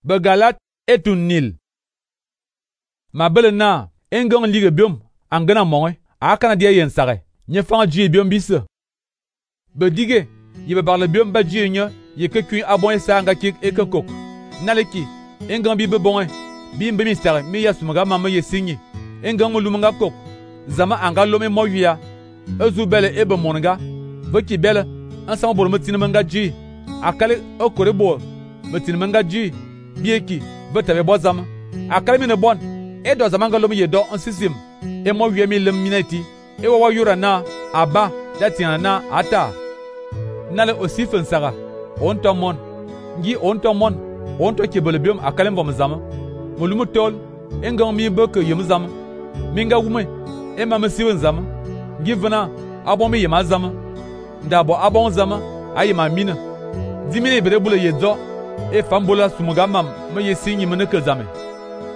Be Galat etun nil. Ma bele na engong lige biom angana monge a kana dia yen sare. Nye fanga ji biom bisse. Be dige ye be barle biom ba ji nya ye ke kuin abon esa nga kik e ke kok. Naleki engong bi be bonge bi mbe mi sare mi ya sumaga mama ye sinyi. Engong lumunga kok zama anga lome moya ezu bele ebe monga veki bele ansama bolo metin manga ji akale okore bo metin manga ji bieki betabe bozama akale mi ne bon e do zama ngalo mi ye do ansisim e mo wie mi lem minati e wo yura na aba datina na ata nale osif nsara on tomon ngi on tomon on to kebele biom akale mbom zama molumu tol engong mi beke yem zama minga wume e ma mesiwen zama ngi vena abon mi yema zama ndabo abon zama ayima mina dimine bere bule yedzo e fambola sumuga mam me yesinyi mene ke zame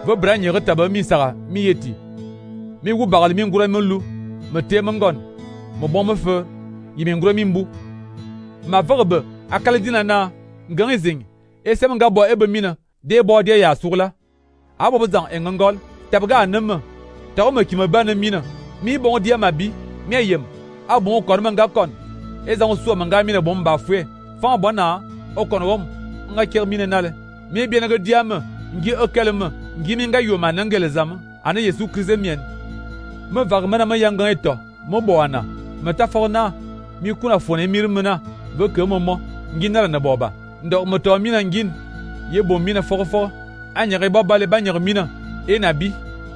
vo branye retaba mi sara mi yeti mi wu bagal mi ngura melu me te mengon mo bon me fe yimi ngura mi mbu ma verbe akale dina na ngang zing e sem nga bo ebe mina de bo de ya sugla abo bezang engongol tabga anema tawo me kima bana mina mi bon dia mabi mi ayem abon kon manga kon ezan so manga mina bon ba fue fa bona o kon wom nga ker mina nale mi bien nga diam ngi okelme ngi mi nga yoma nangele zam ana yesu krize mien me var mana ma yanga eto mo boana me ta forna mi kuna fone mirmena be ke momo ngi nala na boba ndo mo to mina ngin ye bom mina fofo anyere bobale banyere mina enabi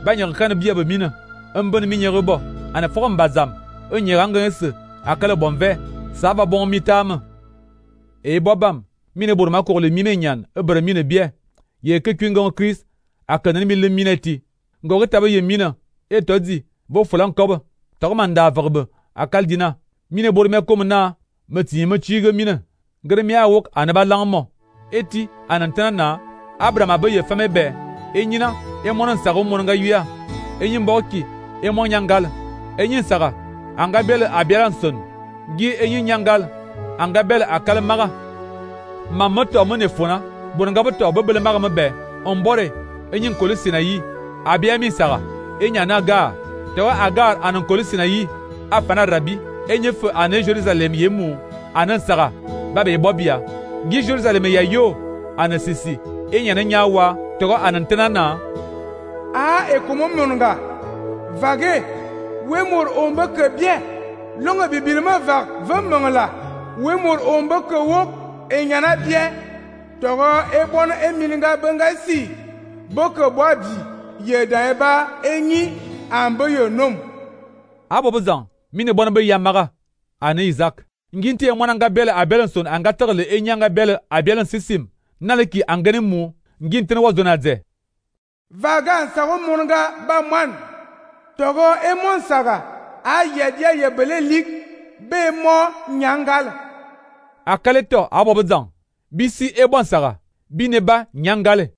banyere kan biya be mina mbon mi nyere bo ana forum bazam nyere ngese akala bonve ça va bon mitam e bobam mine bor ma ko le mine nyan ebre mine bie ye ke kwingon Chris akana mi le mineti ngo tabe ye mina e todi bo fulan kob to manda verbe akal dina mine bor me kom na meti me chige mine ngre mi awok anaba langmo eti anantana na Abraham abaye fame be enyina e monon sago monga yuya enyin boki e mon nyangal enyin saga anga bel abiaranson gi enyin nyangal anga bel akal maga mamoto mone fona bonga boto bebele maga mbe ombore enyin kolisina yi abia mi saga enyana ga tewa agar anan kolisina yi afana rabi enyefe ane Jerusalem yemu anan saga babe bobia gi Jerusalem ya yo anasisi enyana nyawa togo anantena na a ekomo monga vage wemor omba ke bien longa bibilma vag vemangla wemor omba ke wok enyana bien togo ebon emilinga bengasi boko bobi yeda eba enyi amboyo nom abo bezan mine bona be yamaga ane Isaac nginti mwananga bele abelanson anga terle enyanga bele abelan sisim naleki angane mu nginti wazona de vagan sago monga ba man togo emon saga a yedia yebele lik be mo nyangal akaleto abo bezan bisi ebon saga bineba nyangale